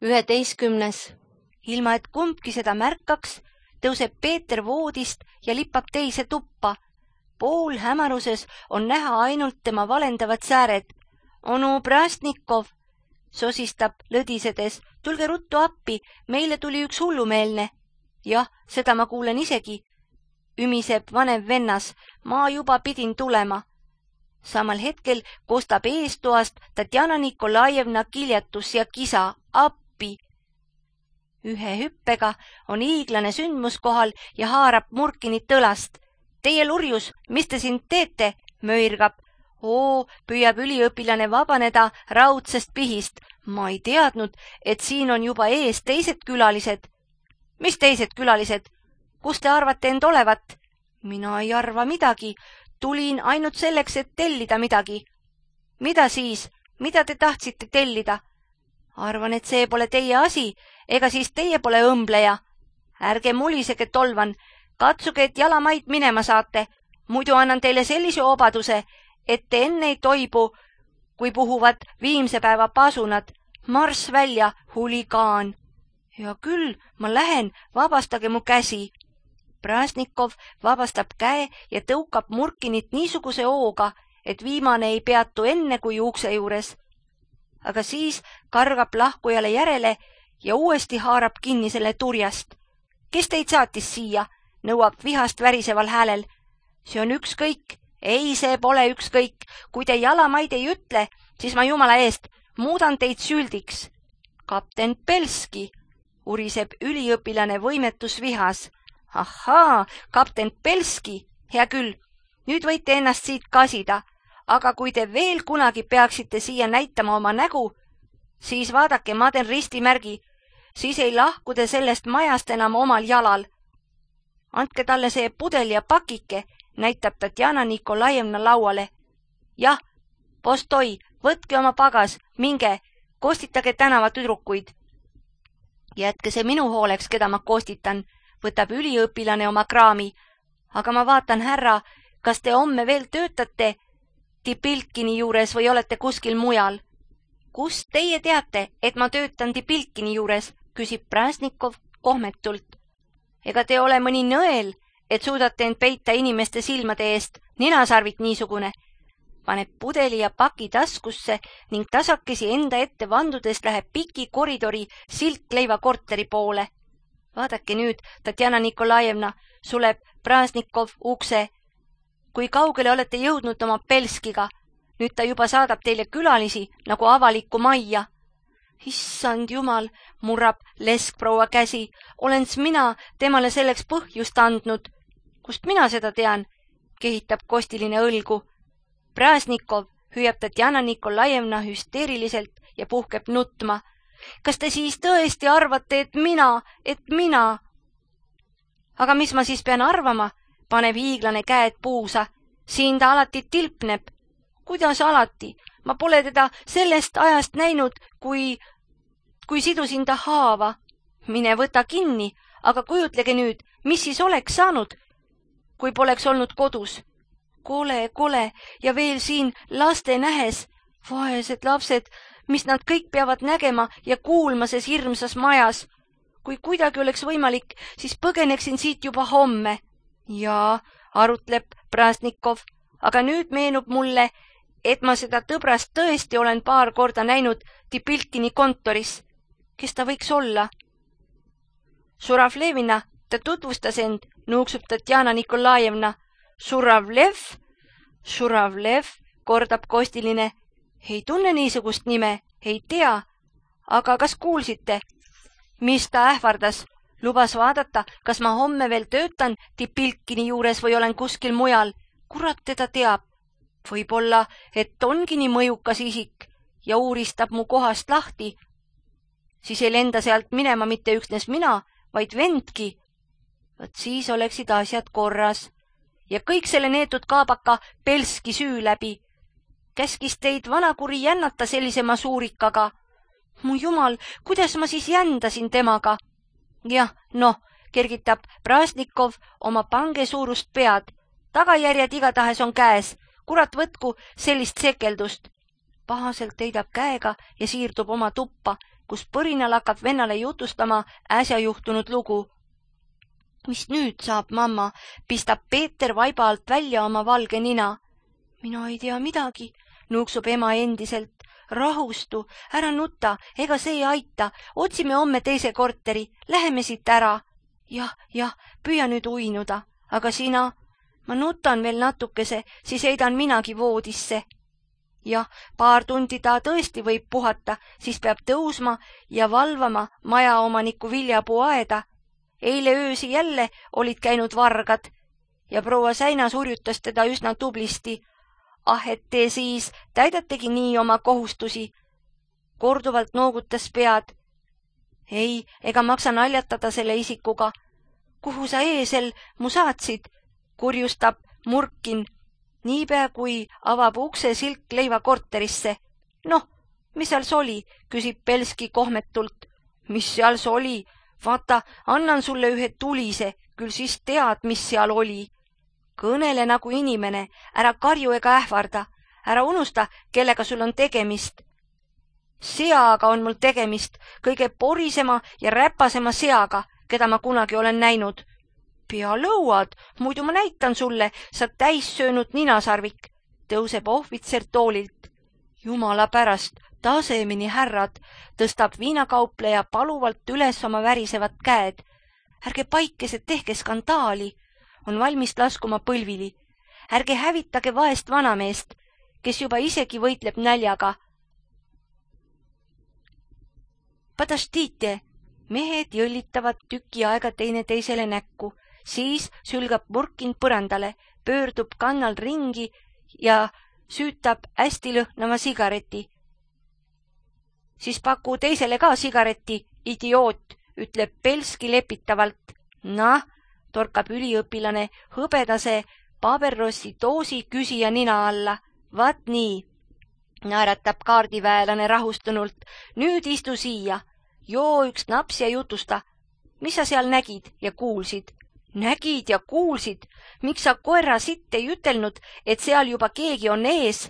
11. Ilma et kumbki seda märkaks, tõuseb Peeter voodist ja lippab teise tuppa. Poolhämaruses on näha ainult tema valendavad sääred. Onu Prastnikov, sosistab lõdisedes, tulge ruttu appi, meile tuli üks hullumeelne. Jah, seda ma kuulen isegi, ümiseb vanem vennas, ma juba pidin tulema. Samal hetkel kostab eestoast Tatjana Nikolajevna kiljatus ja kisa, appi. Ühe hüppega on hiiglane sündmus kohal ja haarab Murkinit õlast. Teie lurjus, mis te siin teete? Möirgab. Püüab üliõpilane vabaneda raudsest pihist. Ma ei teadnud, et siin on juba ees teised külalised. Mis teised külalised? Kus te arvate end olevat? Mina ei arva midagi. Tulin ainult selleks, et tellida midagi. Mida siis? Mida te tahtsite tellida? Arvan, et see pole teie asi, ega siis teie pole õmbleja. Ärge mulisege, tolvan. Katsuge, et jalamaid minema saate. Muidu annan teile sellise obaduse, et te enne ei toibu, kui puhuvad viimse päeva pasunad. Marss välja, huligaan. Ja küll, ma lähen, vabastage mu käsi. Prasnikov vabastab käe ja tõukab Murkinit niisuguse hooga, et viimane ei peatu enne kui ukse juures. Aga siis kargab lahkujale järele ja uuesti haarab kinni selle turjast. Kes teid saatis siia? Nõuab vihast väriseval häälel. See on ükskõik. Ei, see pole ükskõik. Kui te jalamaid ei ütle, siis ma jumala eest muudan teid süldiks. Kapten Pelski, uriseb üliõpilane võimetus vihas. Ahaa, kapten Pelski, hea küll, nüüd võite ennast siit kasida, aga kui te veel kunagi peaksite siia näitama oma nägu, siis vaadake, ma teen ristimärgi, siis ei lahku te sellest majast enam omal jalal. Andke talle see pudel ja pakike, näitab Tatjana Nikolajevna lauale. Jah, postoi, võtke oma pagas, minge, kostitage tänava tüdrukuid. Jätke see minu hooleks, keda ma kostitan, võtab üliõpilane oma kraami. Aga ma vaatan, härra, kas te homme veel töötate Tipilkini juures või olete kuskil mujal? Kust teie teate, et ma töötan Tipilkini juures, küsib Prasnikov kohmetult. Ega te ole mõni nõel, et suudate end peita inimeste silmade eest, ninasarvik niisugune. Paneb pudeli ja paki taskusse ning tasakesi enda ette vandudes läheb piki koridori Silkleiva korteri poole. Vaadake nüüd, Tatjana Nikolajevna, suleb Prasnikov ukse. Kui kaugele olete jõudnud oma Pelskiga? Nüüd ta juba saadab teile külalisi nagu avalikku majja. Issand jumal, murrab leskproua käsi. Olens mina temale selleks põhjust andnud. Kust mina seda tean? Kehitab kostiline õlgu. Prasnikov, hüüab Tatjana Nikolajevna hüsteeriliselt ja puhkeb nutma. Kas te siis tõesti arvate, et mina? Aga mis ma siis pean arvama? Paneb hiiglane käed puusa. Siin ta alati tilpneb. Kuidas alati? Ma pole teda sellest ajast näinud, kui sidusin ta haava. Mine võta kinni, aga kujutlege nüüd, mis siis oleks saanud, kui poleks olnud kodus. Kole ja veel siin laste nähes. Vaesed lapsed, mis nad kõik peavad nägema ja kuulma ses hirmsas majas. Kui kuidagi oleks võimalik, siis põgeneksin siit juba homme. Jaa, arutleb Prasnikov, aga nüüd meenub mulle, et ma seda tõbrast tõesti olen paar korda näinud Tipilkini kontoris. Kes ta võiks olla? Suravlevina, ta tutvustas end, nuuksub Tatjana Nikolajevna. Suravlev, kordab kostiline. Ei tunne niisugust nime, ei tea. Aga kas kuulsite? Mis ta ähvardas? Lubas vaadata, kas ma homme veel töötan Tipilkini juures või olen kuskil mujal. Kurat teda teab. Võib-olla, et ongi nii mõjukas isik ja uuristab mu kohast lahti. Siis ei lenda sealt minema mitte üksnes mina, vaid vendki. Võt siis oleksid asjad korras. Ja kõik selle neetud kaabaka Pelski süü läbi. Käskis teid vanakuri jännata sellise masuurikaga. Mu jumal, kuidas ma siis jändasin temaga? Jah, kergitab Prasnikov oma pange suurust pead. Tagajärjed igatahes on käes. Kurat võtku sellist sekeldust. Pahaselt heidab käega ja siirdub oma tuppa. kus põrinal hakkab vennale jutustama äsja juhtunud lugu. Mis nüüd saab, mamma, pistab Peeter vaiba alt välja oma valge nina. Mina ei tea midagi, nuuksub ema endiselt. Rahustu, ära nuta, ega see ei aita, otsime homme teise korteri, läheme siit ära. Jah, püüa nüüd uinuda, aga sina? Ma nutan veel natukese, siis heidan minagi voodisse. Jah, paar tundi ta tõesti võib puhata, siis peab tõusma ja valvama majaomaniku viljapuu aeda. Eile öösi jälle olid käinud vargad ja proua Säinas urjutas teda üsna tublisti. Et te siis täidategi nii oma kohustusi. Korduvalt noogutas pead. Ei, ega maksa naljatada selle isikuga. Kuhu sa eesel mu saatsid? Kurjustab Murkin, niipea kui avab ukse Silkleiva korterisse. Noh, mis seal soli, küsib Belski kohmetult. Mis seal soli? Vaata, annan sulle ühe tulise, küll siis tead, mis seal oli. Kõnele nagu inimene, ära karju ega ähvarda, ära unusta, kellega sul on tegemist. Seaga on mul tegemist, kõige porisema ja räpasema seaga, keda ma kunagi olen näinud. Pea lõuad, muidu ma näitan sulle, sa täissöönud ninasarvik, tõuseb ohvitser toolilt. Jumala pärast, tasemeni härrad, tõstab viinakaupleja paluvalt üles oma värisevad käed. Ärge paikesed, tehke skandaali, on valmis laskuma põlvili. Ärge hävitage vaest vanameest, kes juba isegi võitleb näljaga. Padaštite, mehed jõllitavad tüki aega teineteisele näkku, siis sülgab Murkin põrandale, pöördub kannal ringi ja süütab hästi lõhnava sigareti. Siis paku teisele ka sigareti, idioot, ütleb Belski lepitavalt. Nah, torkab üliõpilane hõbedase paberrossi doosi küsija nina alla. Vaat nii, naeratab kaardiväelane rahustunult. Nüüd istu siia, joo üks naps ja jutusta. Mis sa seal nägid ja kuulsid? Nägid ja kuulsid? Miks sa koera sitt ei ütelnud, et seal juba keegi on ees?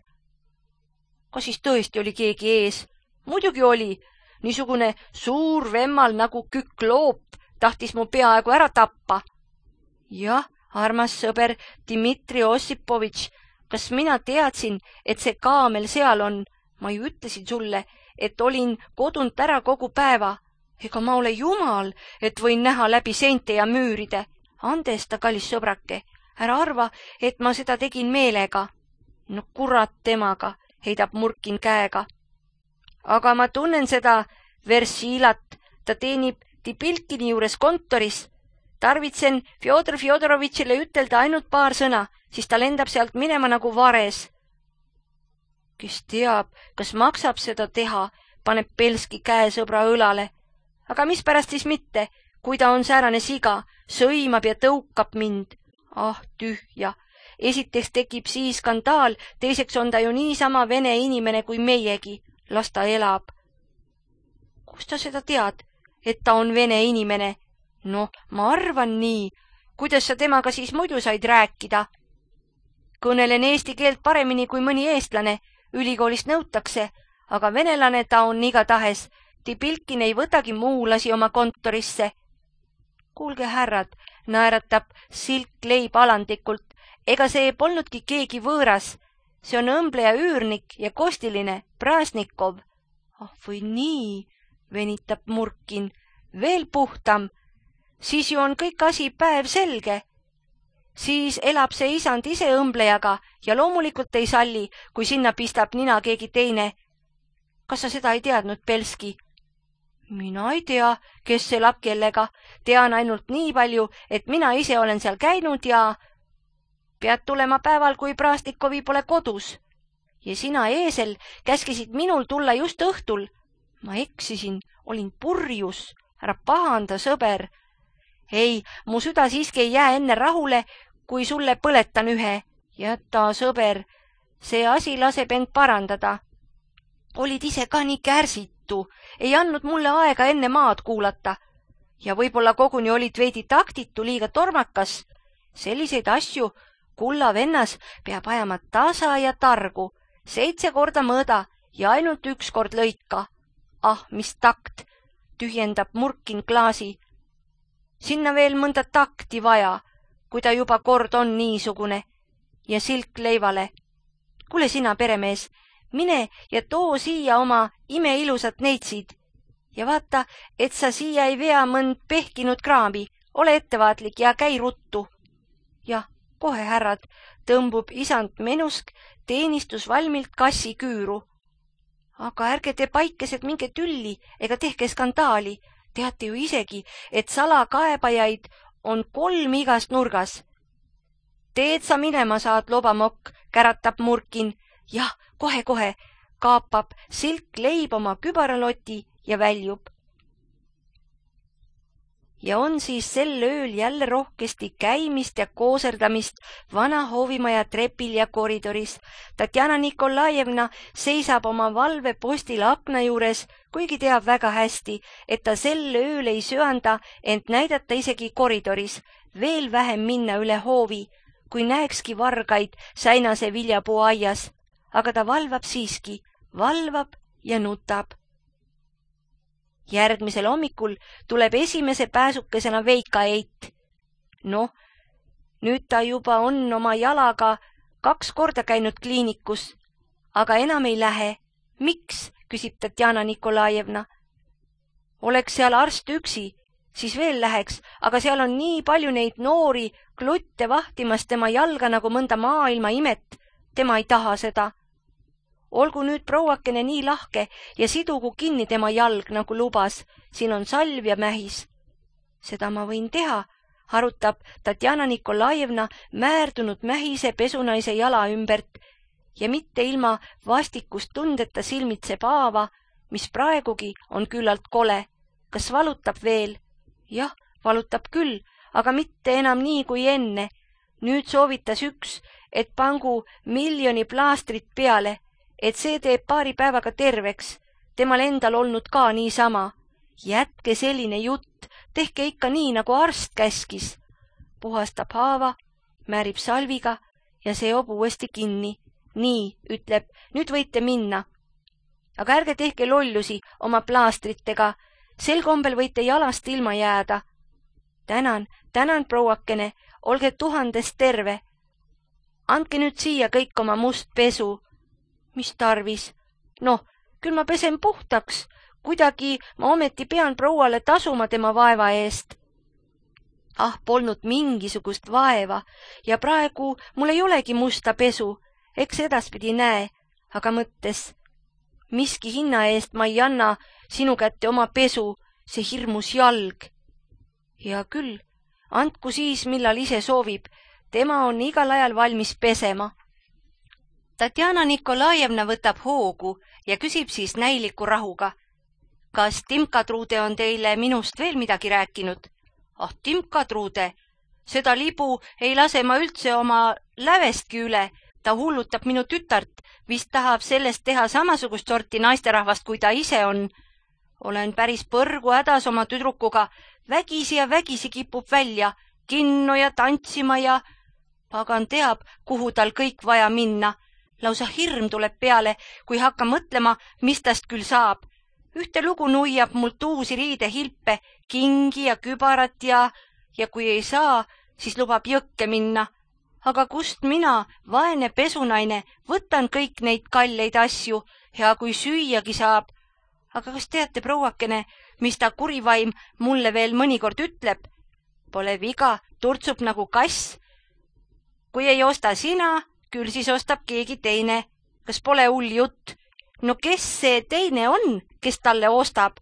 Kas siis tõesti oli keegi ees? Muidugi oli. Niisugune suur vemmal nagu kükloop tahtis mu peaaegu ära tappa. Jah, armas sõber Dmitri Ossipovitš, kas mina teadsin, et see kaamel seal on? Ma ju ütlesin sulle, et olin kodunt ära kogu päeva. Ega ma ole jumal, et võin näha läbi seinte ja müüride. Andesta, kallis sõbrake, ära arva, et ma seda tegin meelega. No kurat temaga, heidab Murkin käega. Aga ma tunnen seda Versilat, ta teenib Tipilkini juures kontoris. Tarvitsen Fjodor Fjodorovitšile ütelda ainult paar sõna, siis ta lendab sealt minema nagu vares. Kes teab, kas maksab seda teha, paneb Belski käe sõbra õlale. Aga mispärast siis mitte, kui ta on säärane siga, sõimab ja tõukab mind. Ah, tühja. Esiteks tekib siis skandaal, teiseks on ta ju niisama vene inimene kui meiegi. Las ta elab. Kust ta seda tead, et ta on vene inimene? Noh, ma arvan nii. Kuidas sa temaga siis muidu said rääkida? Kõnelen eesti keelt paremini kui mõni eestlane, ülikoolist nõutakse, aga venelane ta on igatahes. Tipilkin ei võtagi muulasi oma kontorisse. Kuulge, härrad, naeratab Silkleib alandlikult. Ega see polnudki keegi võõras. See on õmbleja üürnik ja kostiline, Prasnikov. Ah, või nii, venitab Murkin. Veel puhtam. Siis ju on kõik asi päev selge. Siis elab see isand ise õmblejaga ja loomulikult ei salli, kui sinna pistab nina keegi teine. Kas sa seda ei teadnud, Belski? Mina ei tea, kes elab kellega. Tean ainult nii palju, et mina ise olen seal käinud ja pead tulema päeval, kui Prasnikovi pole kodus. Ja sina, eesel, käskisid minul tulla just õhtul. Ma eksisin, olin purjus. Ära pahanda, sõber. Ei, mu süda siiski ei jää enne rahule, kui sulle põletan ühe. Jäta, sõber, see asi laseb end parandada. Olid ise ka nii kärsitu, ei andnud mulle aega enne maad kuulata. Ja võib-olla koguni olid veidi taktitu, liiga tormakas. Selliseid asju kulla vennas peab ajama tasa ja targu, 7 korda mõõda ja ainult 1 kord lõika. Ah, mis takt, tühjendab Murkin klaasi. Sinna veel mõnda takti vaja, kui ta juba kord on niisugune. Ja Silk Leivale. Kuule sina, peremees, mine ja too siia oma imeilusat neitsid. Ja vaata, et sa siia ei vea mõnd pehkinud kraami. Ole ettevaatlik ja käi ruttu. Jah, kohe härrad, tõmbub isand Menusk teenistusvalmilt kassi küüru. Aga ärge te paikesed minge tülli ega tehke skandaali. Teate ju isegi, et salakaebajaid on 3 igas nurgas. Teed sa minema saad, lobamokk, käratab Murkin. Jah, kohe-kohe, kaapab Silk Leib oma kübaraloti ja väljub. Ja on siis sel ööl jälle rohkesti käimist ja kooserdamist vana hoovimaja trepil ja koridoris. Tatjana Nikolajevna seisab oma valvepostil akna juures, kuigi teab väga hästi, et ta sel ööl ei söanda ent näidata isegi koridoris, veel vähem minna üle hoovi, kui näekski vargaid säinase viljapuu aias. Aga ta valvab siiski, valvab ja nutab. Järgmisel hommikul tuleb esimese pääsukesena Veika Eit. Noh, nüüd ta juba on oma jalaga 2 korda käinud kliinikus, aga enam ei lähe. Miks, küsib Tatjana Nikolajevna. Oleks seal arst üksi, siis veel läheks, aga seal on nii palju neid noori klutte vahtimas tema jalga nagu mõnda maailma imet. Tema ei taha seda. Olgu nüüd prouakene nii lahke ja sidugu kinni tema jalg, nagu lubas. Siin on salv ja mähis. Seda ma võin teha, harutab Tatjana Nikolajevna määrdunud mähise pesunaise jala ümbert ja mitte ilma vastikust tundeta silmitseb haava, mis praegugi on küllalt kole. Kas valutab veel? Jah, valutab küll, aga mitte enam nii kui enne. Nüüd soovitas üks, et pangu 1 miljoni plaastrit peale, et see teeb paari päevaga terveks. Temal endal olnud ka niisama. Jätke selline jutt, tehke ikka nii, nagu arst käskis. Puhastab haava, määrib salviga ja seob uuesti kinni. Nii, ütleb, nüüd võite minna. Aga ärge tehke lollusi oma plaastritega. Sel kombel võite jalast ilma jääda. Tänan, prouakene, olge 1000 terve. Andke nüüd siia kõik oma must pesu. Mis tarvis? Noh, küll ma pesen puhtaks. Kuidagi ma ometi pean prouale tasuma tema vaeva eest. Ah, polnud mingisugust vaeva ja praegu mul ei olegi musta pesu. Eks edaspidi näe, aga mõttes. Miski hinna eest ma ei anna sinu kätte oma pesu, see hirmus jalg. Hea küll, andku siis, millal ise soovib. Tema on igal ajal valmis pesema. Tatjana Nikolajevna võtab hoogu ja küsib siis näiliku rahuga. Kas Timka Truude on teile minust veel midagi rääkinud? Ah, Timka Truude, seda libu ei lase ma üldse oma lävestki üle. Ta hullutab minu tütart, vist tahab sellest teha samasugust sorti naisterahvast, kui ta ise on. Olen päris põrgu hädas oma tüdrukuga, vägisi ja vägisi kipub välja, kinno ja tantsima ja pagan teab, kuhu tal kõik vaja minna. Lausa hirm tuleb peale, kui hakka mõtlema, mis tast küll saab. Ühte lugu nuiab mult uusi riidehilpe, kingi ja kübarat ja kui ei saa, siis lubab jõkke minna. Aga kust mina, vaene pesunaine, võtan kõik neid kalleid asju, hea kui süüagi saab. Aga kas teate, prouakene, mis ta kurivaim mulle veel mõnikord ütleb? Pole viga, turtsub nagu kass. Kui ei osta sina, küll siis ostab keegi teine. Kas pole hull jutt? No kes see teine on, kes talle ostab?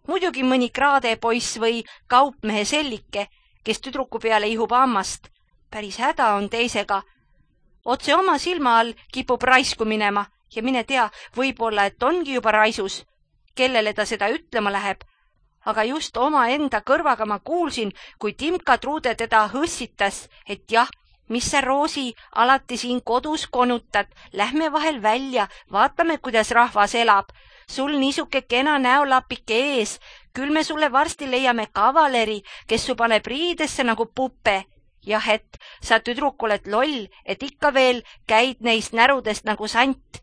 Muidugi mõni kraadepoiss või kaupmehe sellike, kes tüdruku peale ihub hammast. Päris häda on teisega. Otse oma silma all kipub raisku minema ja mine tea, võib-olla, et ongi juba raisus. Kellele ta seda ütlema läheb? Aga just oma enda kõrvaga ma kuulsin, kui Timka Truude teda hõssitas, et jah, mis sa, Roosi, alati siin kodus konutad, lähme vahel välja, vaatame, kuidas rahvas elab. Sul niisuke kena näolapike ees, küll me sulle varsti leiame kavaleri, kes su paneb riidesse nagu puppe. Jah, et sa tüdruk oled loll, et ikka veel käid neist närudest nagu sant.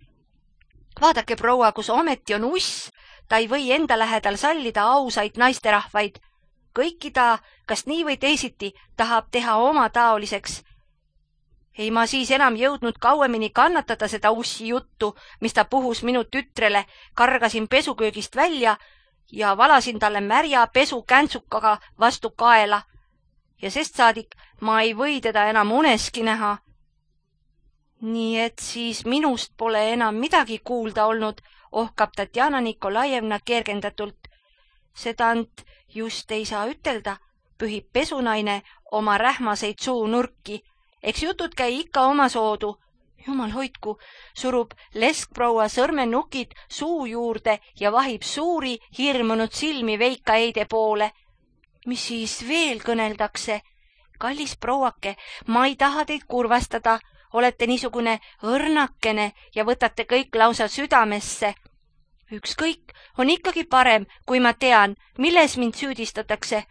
Vaadake, proua, kus ometi on uss, Ta ei või enda lähedal sallida ausaid naisterahvaid. Kõiki ta, kas nii või teisiti, tahab teha oma taoliseks. Ei ma siis enam jõudnud kauemini kannatada seda ussi juttu, mis ta puhus minu tütrele, kargasin pesuköögist välja ja valasin talle märja pesukäntsukaga vastu kaela. Ja sest saadik ma ei või teda enam uneski näha. Nii et siis minust pole enam midagi kuulda olnud, ohkab Tatjana Nikolajevna kergendatult. Sedant just ei saa ütelda, pühib pesunaine oma rähmaseid suunurki. Eks jutud käi ikka oma soodu. Jumal hoidku, surub leskproua sõrmenukid suu juurde ja vahib suuri hirmunud silmi Veika Eide poole. Mis siis veel kõneldakse? Kallis prouake, ma ei taha teid kurvastada. Olete niisugune õrnakene ja võtate kõik lausa südamesse. Ükskõik, on ikkagi parem, kui ma tean, milles mind süüdistatakse.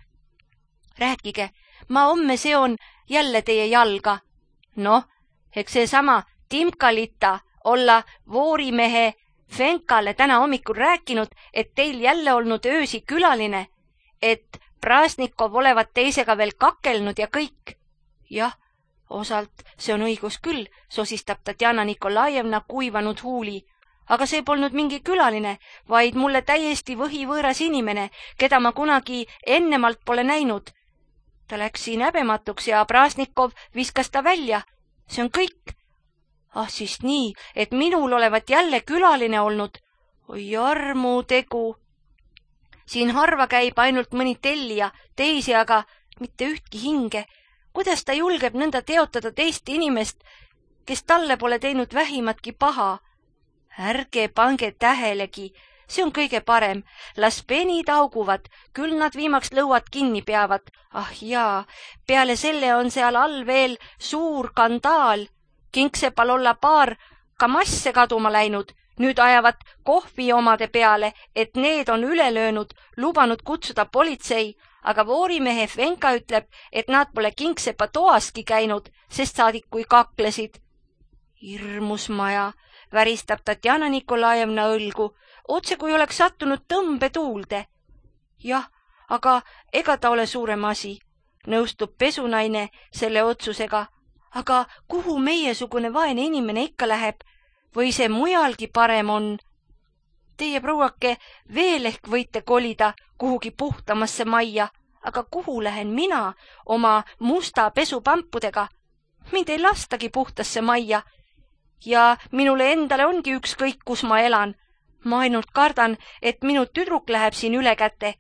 Rääkige, ma homme seon jälle teie jalga. Noh, eks seesama Timkalita olla voorimehe Fenkale täna hommikul rääkinud, et teil jälle olnud öösi külaline, et Prasnikov olevat teisega veel kakelnud ja kõik. Jah, osalt see on õigus küll, sosistab Tatjana Nikolajevna kuivanud huuli. Aga see polnud mingi külaline, vaid mulle täiesti võhivõõras inimene, keda ma kunagi ennemalt pole näinud. Ta läks siin häbematuks ja Prasnikov viskas ta välja. See on kõik. Ah, siis nii, et minul olevat jälle külaline olnud. Oi armutegu. Siin harva käib ainult mõni tellija, teisi aga mitte ühtki hinge. Kuidas ta julgeb nõnda teotada teist inimest, kes talle pole teinud vähimatki paha? Ärge pange tähelegi, see on kõige parem. Las penid auguvad, küll nad viimaks lõuad kinni peavad. Ah jaa, peale selle on seal all veel suur kandaal. Kingsepal olla paar kamasse kaduma läinud. Nüüd ajavad kohvi omade peale, et need on üle löönud, lubanud kutsuda politsei, aga voorimehe Fenka ütleb, et nad pole Kingsepa toaski käinud, sest saadik kui kaklesid. Hirmus maja, väristab Tatjana Nikolajevna õlgu, otse kui oleks sattunud tõmbetuulde. Jah, aga ega ta ole suurem asi, nõustub pesunaine selle otsusega. Aga kuhu meiesugune vaene inimene ikka läheb? Või see mujalgi parem on? Teie prouake veel ehk võite kolida kuhugi puhtamasse majja, aga kuhu lähen mina oma musta pesupampudega? Mind ei lastagi puhtasse majja. Ja minule endale ongi ükskõik, kus ma elan. Ma ainult kardan, et minu tüdruk läheb siin üle käte.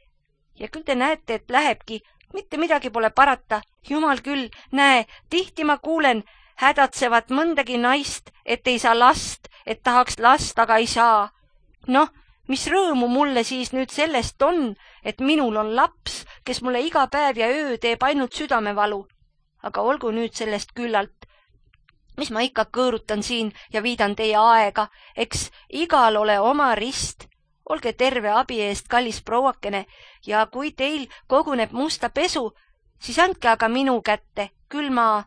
Ja küll te näete, et lähebki. Mitte midagi pole parata. Jumal küll, näe, tihti ma kuulen hädatsevat mõndagi naist, et ei saa last, et tahaks last, aga ei saa. Noh, mis rõõmu mulle siis nüüd sellest on, et minul on laps, kes mulle iga päev ja öö teeb ainult südamevalu. Aga olgu nüüd sellest küllalt. Mis ma ikka kõõrutan siin ja viidan teie aega, eks igal ole oma rist. Olge terve abi eest, kallis prouakene, ja kui teil koguneb musta pesu, siis andke aga minu kätte, küll ma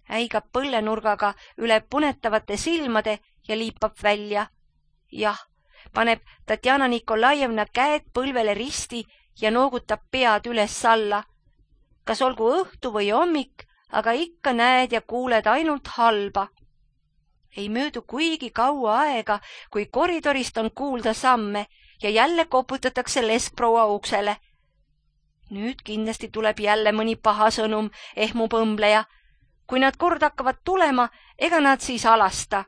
äigab põllenurgaga üle punetavate silmade ja liipab välja. Jah, paneb Tatjana Nikolajevna käed põlvele risti ja noogutab pead üles-alla. Kas olgu õhtu või hommik, aga ikka näed ja kuuled ainult halba. Ei möödu kuigi kaua aega, kui koridorist on kuulda samme ja jälle koputatakse leskproua uksele. Nüüd kindlasti tuleb jälle mõni paha sõnum, ehmub õmbleja. Kui nad kord hakkavad tulema, ega nad siis alasta.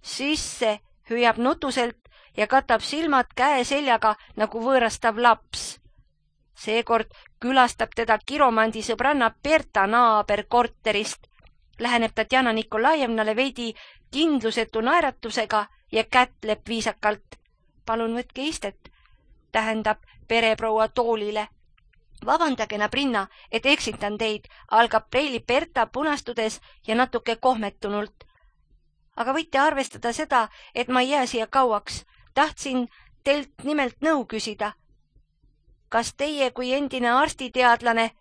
Sisse hüüab nutuselt ja katab silmad käe seljaga nagu võõrastav laps. Seekord külastab teda kiromandi sõbranna Berta naaber korterist. Läheneb Tatjana Nikolajevnale veidi kindlusetu naeratusega ja kätleb viisakalt. Palun võtke istet, tähendab pereproua toolile. Vabandage, Nabrinna, et eksitan teid, algab preili Berta punastudes ja natuke kohmetunult. Aga võite arvestada seda, et ma ei jää siia kauaks. Tahtsin teilt nimelt nõu küsida. Kas teie kui endine arstiteadlane,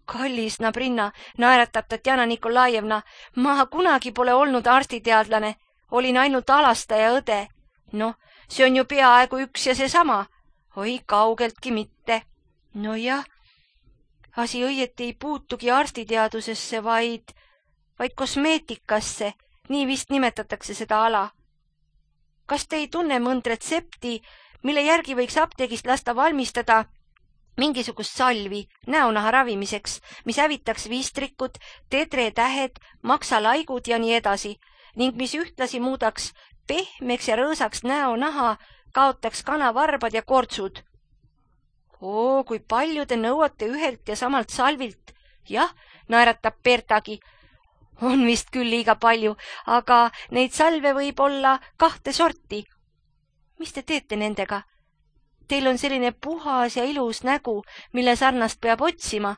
kallis Nabrinna, naeratab Tatjana Nikolajevna, ma kunagi pole olnud arstiteadlane, olin ainult alastaja õde. Noh, see on ju peaaegu üks ja seesama. Oi, kaugeltki mitte. No jah, asi õieti ei puutugi arstiteadusesse, vaid kosmeetikasse, nii vist nimetatakse seda ala. Kas te ei tunne mõnd retsepti, mille järgi võiks apteegist lasta valmistada mingisugust salvi näonaha ravimiseks, mis hävitaks vistrikud, tedretähed, maksalaigud ja nii edasi, ning mis ühtlasi muudaks pehmeks ja rõõsaks näonaha, kaotaks kanavarbad ja kortsud? Kui palju te nõuate ühelt ja samalt salvilt? Jah, naeratab Bertagi. On vist küll liiga palju, aga neid salve võib olla 2 sorti. Mis te teete nendega? Teil on selline puhas ja ilus nägu, mille sarnast peab otsima.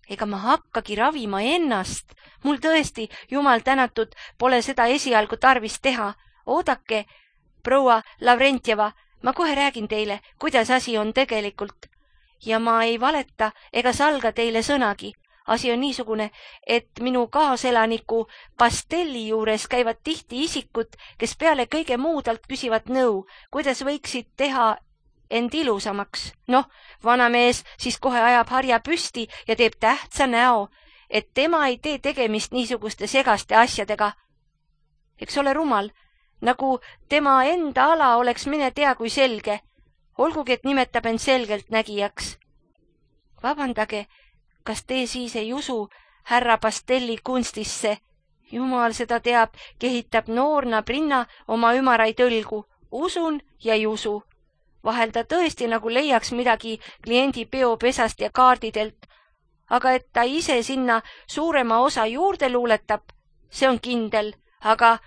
Ega ma hakkagi ravima ennast. Mul tõesti, jumal tänatud, pole seda esialgu tarvis teha. Oodake, proua Lavrentjeva, ma kohe räägin teile, kuidas asi on tegelikult. Ja ma ei valeta ega salga teile sõnagi. Asi on niisugune, et minu kaaselaniku Pastelli juures käivad tihti isikud, kes peale kõige muudalt küsivad nõu, kuidas võiksid teha end ilusamaks. Vanamees siis kohe ajab harja püsti ja teeb tähtsa näo, et tema ei tee tegemist niisuguste segaste asjadega. Eks ole rumal, nagu tema enda ala oleks mine tea kui selge, olgugi et nimetab end selgelt nägijaks. Vabandage, kas te siis ei usu härra Pastelli kunstisse? Jumal seda teab, kehitab noor Nabrinna oma ümaraid õlgu. Usun ja ei usu. Vahel ta tõesti nagu leiaks midagi kliendi peopesast ja kaardidelt, aga et ta ise sinna suurema osa juurde luuletab, see on kindel, aga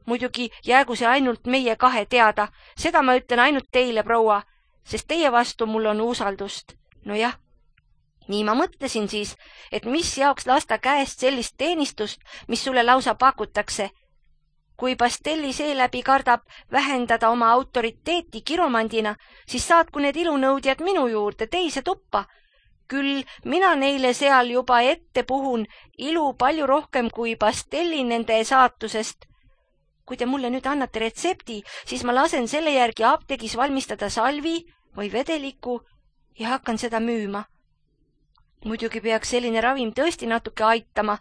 muidugi jäägu see ainult meie 2 teada. Seda ma ütlen ainult teile, proua, sest teie vastu mul on usaldust. Nojah, nii ma mõtlesin siis, et mis jaoks lasta käest sellist teenistust, mis sulle lausa pakutakse. Kui Pastelli seeläbi kardab vähendada oma autoriteeti kiromandina, siis saatku need ilunõudjad minu juurde teise tuppa. Küll mina neile seal juba ette puhun ilu palju rohkem kui Pastelli nende saatusest. Kui te mulle nüüd annate retsepti, siis ma lasen selle järgi apteegis valmistada salvi või vedeliku ja hakkan seda müüma. Muidugi peaks selline ravim tõesti natuke aitama.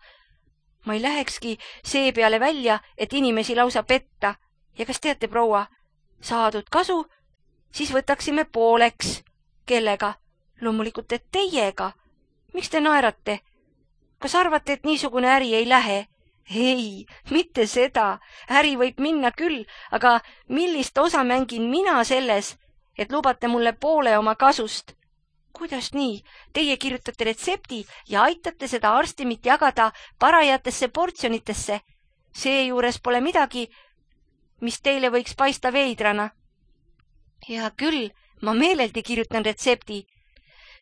Ma ei lähekski see peale välja, et inimesi lausa petta. Ja kas teate, proua, saadud kasu, siis võtaksime pooleks. Kellega? Loomulikult, et teiega. Miks te naerate? Kas arvate, et niisugune äri ei lähe? Ei, mitte seda. Äri võib minna küll, aga millist osa mängin mina selles, et lubate mulle poole oma kasust? Kuidas nii? Teie kirjutate retsepti ja aitate seda arstimit jagada parajatesse portsjonitesse. Seejuures pole midagi, mis teile võiks paista veidrana. Ja küll, ma meeleldi kirjutan retsepti.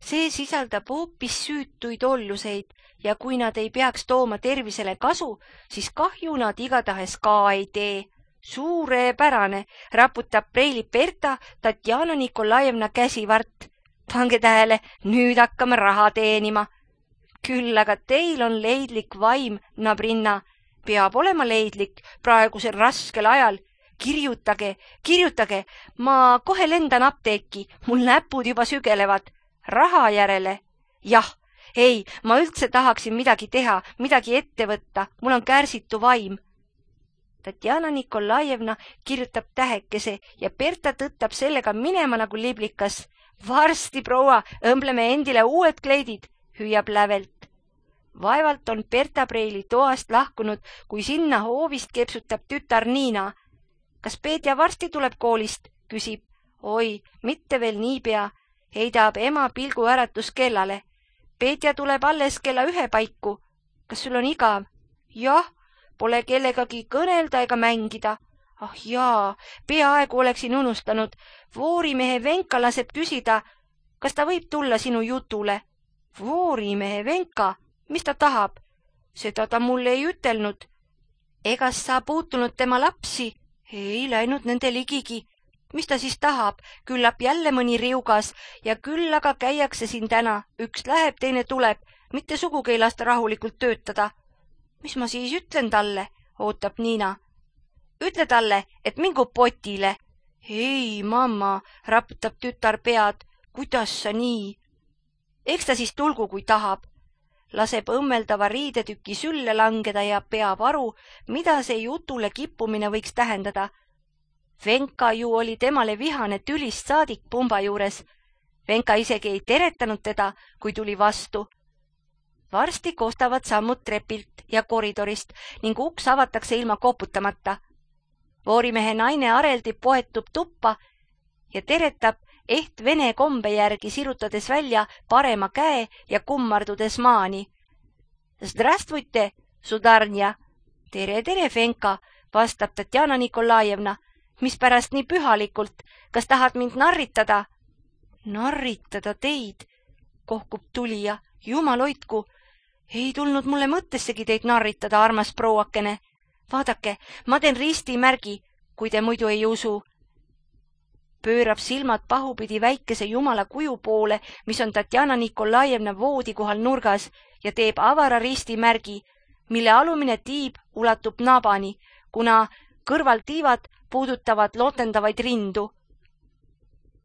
See sisaldab hoopis süütuid olluseid ja kui nad ei peaks tooma tervisele kasu, siis kahju nad igatahes ka ei tee. Suurepärane, raputab preili Berta Tatjana Nikolajevna käsivart. Pange tähele, nüüd hakkame raha teenima. Küll aga teil on leidlik vaim, Nabrinna. Peab olema leidlik praegusel raskel ajal. Kirjutage, ma kohe lendan apteeki, mul näpud juba sügelevad. Raha järele. Jah, ei, ma üldse tahaksin midagi teha, midagi ette võtta, mul on kärsitu vaim. Tatjana Nikolajevna kirjutab tähekese ja Berta tõttab sellega minema nagu liblikas. Varsti, proua, õmbleme endile uued kleidid, hüüab lävelt. Vaevalt on Berta preili toast lahkunud, kui sinna hoovist kepsutab tütar Niina. Kas Peetja varsti tuleb koolist? Küsib. Oi, mitte veel niipea, heidab ema pilgu äratus kellale. Peetja tuleb alles kella 1 paiku. Kas sul on igav? Jah, pole kellegagi kõnelda ega mängida. Ah jaa, peaaegu oleksin unustanud. Voorimehe Venka laseb küsida, kas ta võib tulla sinu jutule. Voorimehe Venka? Mis ta tahab? Seda ta mulle ei ütelnud. Egas sa puutunud tema lapsi? Ei läinud nende ligigi. Mis ta siis tahab? Küllap jälle mõni riugas ja küll aga käiakse siin täna. Üks läheb, teine tuleb. Mitte sugugi ei lasta rahulikult töötada. Mis ma siis ütlen talle? Ootab Niina. Ütle talle, et mingu potile. Ei, mamma, raputab tütar pead. Kuidas sa nii? Eks ta siis tulgu, kui tahab. Laseb õmmeldava riidetüki sülle langeda ja peab aru, mida see jutule kippumine võiks tähendada. Venka ju oli temale vihane tülist saadik pumba juures. Venka isegi ei teretanud teda, kui tuli vastu. Varsti kostavad sammud trepilt ja koridorist ning uks avatakse ilma koputamata. Voorimehe naine Areldi poetub tuppa ja teretab eht vene kombe järgi, sirutades välja parema käe ja kummardudes maani. Zdravstvujte, sudarnja. Tere, tere, Venka, vastab Tatjana Nikolajevna. Mispärast nii pühalikult? Kas tahad mind narritada? Narritada teid, kohkub tulija. Jumal hoidku. Ei tulnud mulle mõttessegi teid narritada, armas prouakene. Vaadake, ma teen ristimärgi, kui te muidu ei usu. Pöörab silmad pahupidi väikese jumala kuju poole, mis on Tatjana Nikolajevna voodi kohal nurgas, ja teeb avara ristimärgi, mille alumine tiib ulatub nabani, kuna kõrvaltiivad puudutavad lotendavaid rindu.